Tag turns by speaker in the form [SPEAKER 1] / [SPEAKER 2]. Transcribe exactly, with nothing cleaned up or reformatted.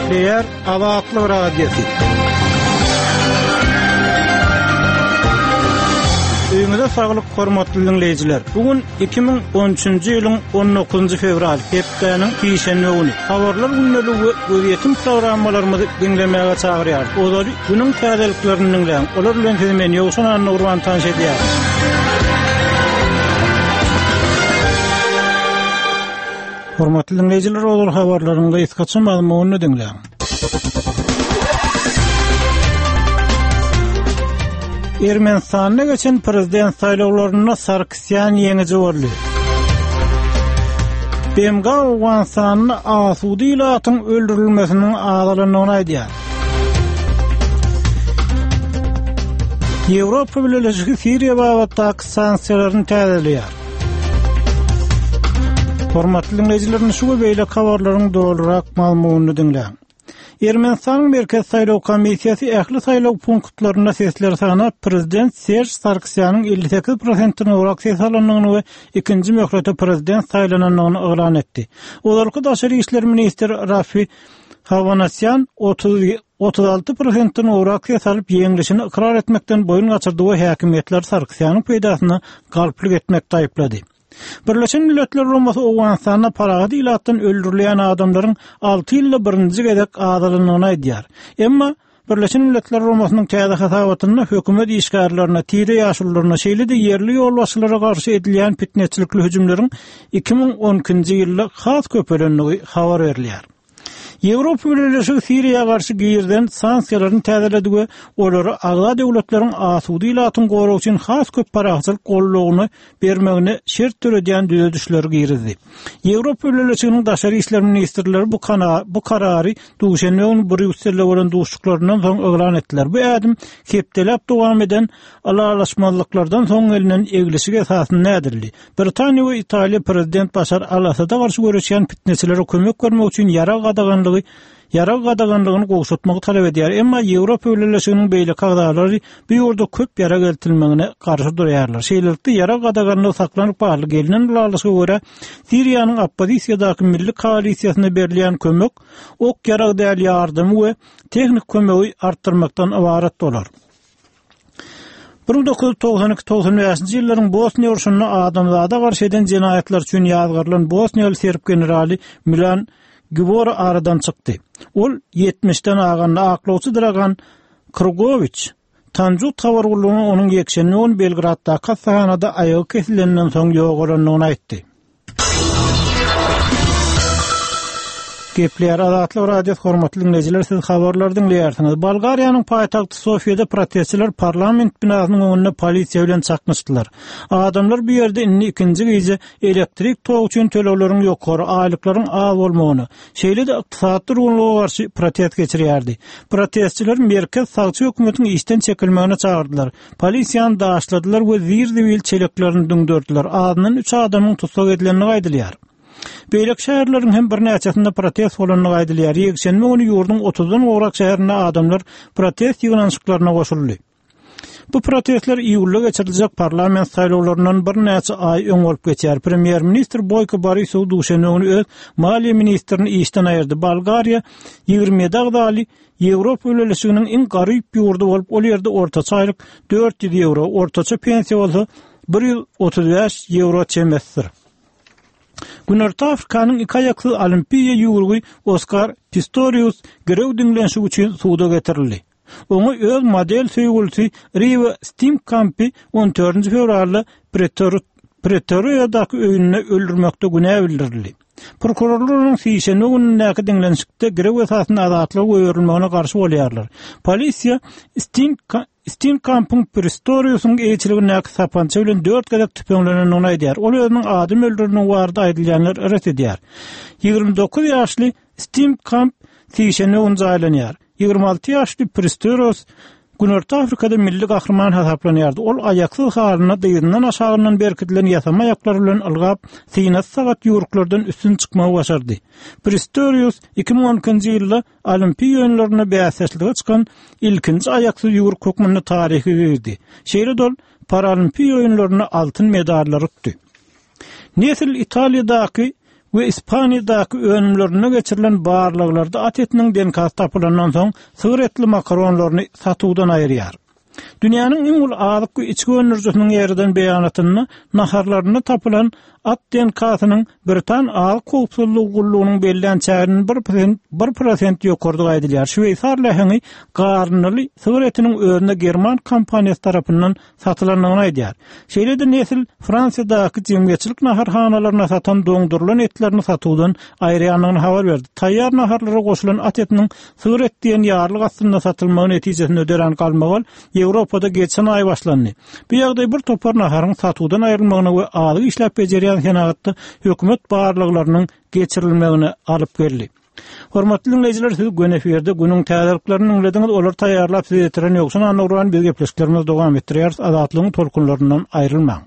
[SPEAKER 1] Gepleýär Azatlyk Radiosy. Öýüňize saglyk, hormatly diňleýjiler. Bu gün iki müň on üçünji ýylyň on dokuzynjy fewral, hepdäniň sişenbe güni. Habarlar gündeligi we gözýetim programmalarymyzy diňlemäge çagyrýarys. Ozaly günüň täzeliklerini diňläň. Olar bilen sizi men Ýowşan Annagurban tanyş edýärin. Hormatly diňleýjiler, ozal habarlaryň gysgaça mazmunyny diňläň. Ermenistanda geçen prezident saýlawlarynda Sarkisýan ýeňiji boldy. B M G Owganystanda asuda ilatyň öldürilmesiniň azalandygyny aýdýar. Ýewropa Bileleşigi Siriýa babatdaky sanksiýalaryny täzeleýär. Hormatly dinleýjiler, şu we beýleki habarlaryň dolurak mazmunyny diňläň. Ermenistanyň Merkez Saýlaw Komissiýasy ähli saýlaw punktlarynda sesleri sanap, prezident Serj Sarkisýanyň elli sekiz prosentden gowrak ses alandygyny we ikinji möhlete prezident saýlanandygyny yglan etdi. Ozalky daşary işler ministri Rafi Hawanasýan otuz, otuz alty prosentden gowrak ses alyp, ýeňlişini ykrar etmekden boýun gaçyrdy we häkimiýetler Sarkisýanyň peýdasyna galplyk etmekde aýyplady. Birleşen Milletler Guramasy Owganystanda parahat ilatdan öldürilýän adamlaryň alty ýylda birinji gezek azalandygyny aýdýar. Emma Birleşen Milletler Guramasynyň täze hasabatynda hökümet işgärlerine, tire ýaşulularyna, şeýle-de ýerli ýolbaşçylara garşy edilýän fitneçilikli hüjümleriň iki müň on ikinji ýylda has köpelendigi habar berilýär. Ýewropa Bileleşigi Siriýa garşy girizilen sanksiýalaryny täzeledi we olary agza döwletleriň asuda ilatyň goragy üçin has köp parahatçylyk goldawyny bermegine şert döredýän düzedişleri girizdi. Ýewropa Bileleşiginiň daşary işler ministrleri bu kana-, bu karary duşenbe güni Brýusselde bolan duşuşyklaryndan soň yglan etdiler. Bu ädim hepdeläp dowam eden ylalaşmazlyklardan soň gelinen eglişik esasynda ädildi. Britaniýa we Italiýa prezident Başar al-Asada garşy göreşýän fitneçilere kömek bermek üçin ýarag gadaganlygy, ýarag gadaganlygyny gowşatmagy talap edýär. Emma Ýewropa Bileleşiginiň beýleki agzalary bu ýurda köp ýarag eltilmegine garşy durýarlar. Şeýlelikde ýarag gadaganlygy saklanyp galdy. Gelinen ylalaşyga görä Siriýanyň oppozisiýadaky milli koalisiýasyna berilýän kömek ok ýarag däl ýardymy we tehnik kömegi artdyrmakdan ybarat bolar. Bir müň dokuz ýüz togsan iki togsan bäşinji ýyllaryň Bosniýa urşunda adamzada garşy eden jenaýatlar üçin ýazgarylan Bosniýaly serb generaly Milan Gibora aradan çykdy. Ol ýetmişden aganda aklawçy Dragan Krugowiç Tanjut habar gullugyna onuň ýekşenbe güni Belgraddaky hastahanada aýagy kesilenden soň ýogalandygyny aýtdy. Gepleýär Azatlyk Radiosy, hormatly dinleýjiler, siz habarlary diňleýärsiňiz. Bolgariýanyň paýtagty Sofiýada protestçiler parlament binasynyň öňünde polisiýa bilen çaknyşdylar. Adamlar bu ýerde indi ikinji gije elektrik togy üçin tölegleriň ýokary, aýlyklaryň az bolmagyna, şeýle-de ykdysady durgunlyga garşy protest geçirýärdi. Protestçiler merkez sagçy hökümetiň işden çekilmegine çagyrdylar. Polisiýany daşladylar we zir-zibil çeleklerini düňderdiler. Azyndan üç adamyň tussag edilendigi aýdylýar. Beýleki şäherleriň hem birnäçesinde protest bolandygy aýdylýar. Ýekşenbe güni ýurduň otuzdan gowrak şäherinde adamlar protest ýygnanyşyklaryna goşuldy. Bu protestler iýulda geçiriljek parlament saýlawlaryndan birnäçe aý öň bolup geçýär. Premýer-ministr Boýko Borisow duşenbe güni öz maliýe ministrini işden aýyrdy. Bolgariýa ýigrimi ýedi agzaly Ýewropa Bileleşiginiň iň garyp ýurdy bolup, ol ýerde ortaça aýlyk dört ýüz ýewro, ortaça pensiýa bolsa bir ýüz otuz bäş ýewro çemesidir. Günorta Afrikanyň iki aýaksyz olimpiýa ýüwrügi Oskar Pistorius girew diňlenişi üçin suda getirildi. Oňa öz model söýgülisi Riva Steenkampy on dördünji fewralda Pretor-, Pretoriýadaky öýünde öldürmekde günä bildirildi. Prokurorlar onuň sişenbe günündäki diňlenişikde girew esasynda azatlyga goýberilmegine garşy bolýarlar. Polisiýa Steenka-, Steenkampyň Pistoriusyň eýeçiligindäki sapança bilen dört gezek tüpeňlenendigini aýdýar. Ol özüniň adam öldürenligi barada aýdylýanlar ret edýär. Ýigrimi dokuz ýaşly Steenkamp sişenbe güni jaýlanýar. Ýigrimi alty ýaşly Pistorius Günorta Afrikada milli gahryman hasaplanýardy. Ol aýaksyz halyna dyzyndan aşagyndan berkidilen ýasama aýaklar bilen ylgap, synasy sagat ýuruklardan üstün çykmagy başardy. Pistorius iki müň on ikinji ýylda Olimpiýa oýunlarynda bäsdeşlige çykan ilkinji aýaksyz ýuruk hökmünde taryhy girdi. Şeýle-de ol Paralimpiýa oýunlarynda altyn medallar utdy. Nesil Italiýadaky we Ispaniýadaky önümlerinde geçirilen barlaglarda at etiniň D N K-sy tapylandan soň sygyr etli makaronlaryny satuwdan aýyrýar. Dünýäniň iň uly azyk we içgi öndürijisiniň ýerden beýanatynda naharlarynda tapylan at D N K-synyň Britan azyk howpsuzlygy gullugynyň bellän çäginin bir prosent, bir prosent ýokardygy aýdylýar. Şweýsar läheňi garyndyly sygyr etiniň özünde german kompaniýasy tarapyndan satylandygyny aýdýar. Şeýle-de Nestle Fransiýadaky jemgyýetçilik naharhanalaryna satan doňdurylan etlerini satuwdan aýyrýandygyny habar berdi. Taýýar naharlara goşulan at etiniň sygyr et diýen ýarlyk astynda satylmagy netijesinde dörän galmagal Ýewropada geçen aý başlandy. Bu ýagdaý bir topar naharyň satuwdan aýrylmagyna we azyk işläp bejerýän senagatda hökümet barlaglarynyň geçirilmegine alyp geldi. Hormatly dinleýjiler, siz göni efirde günüň täzeliklerini diňlediňiz. Olar taýýarlap size ýetiren Ýowşan Annagurban, biz gepleşiklerimizi dowam etdirýäris. Azatlygyň tolkunlaryndan aýrylmaň.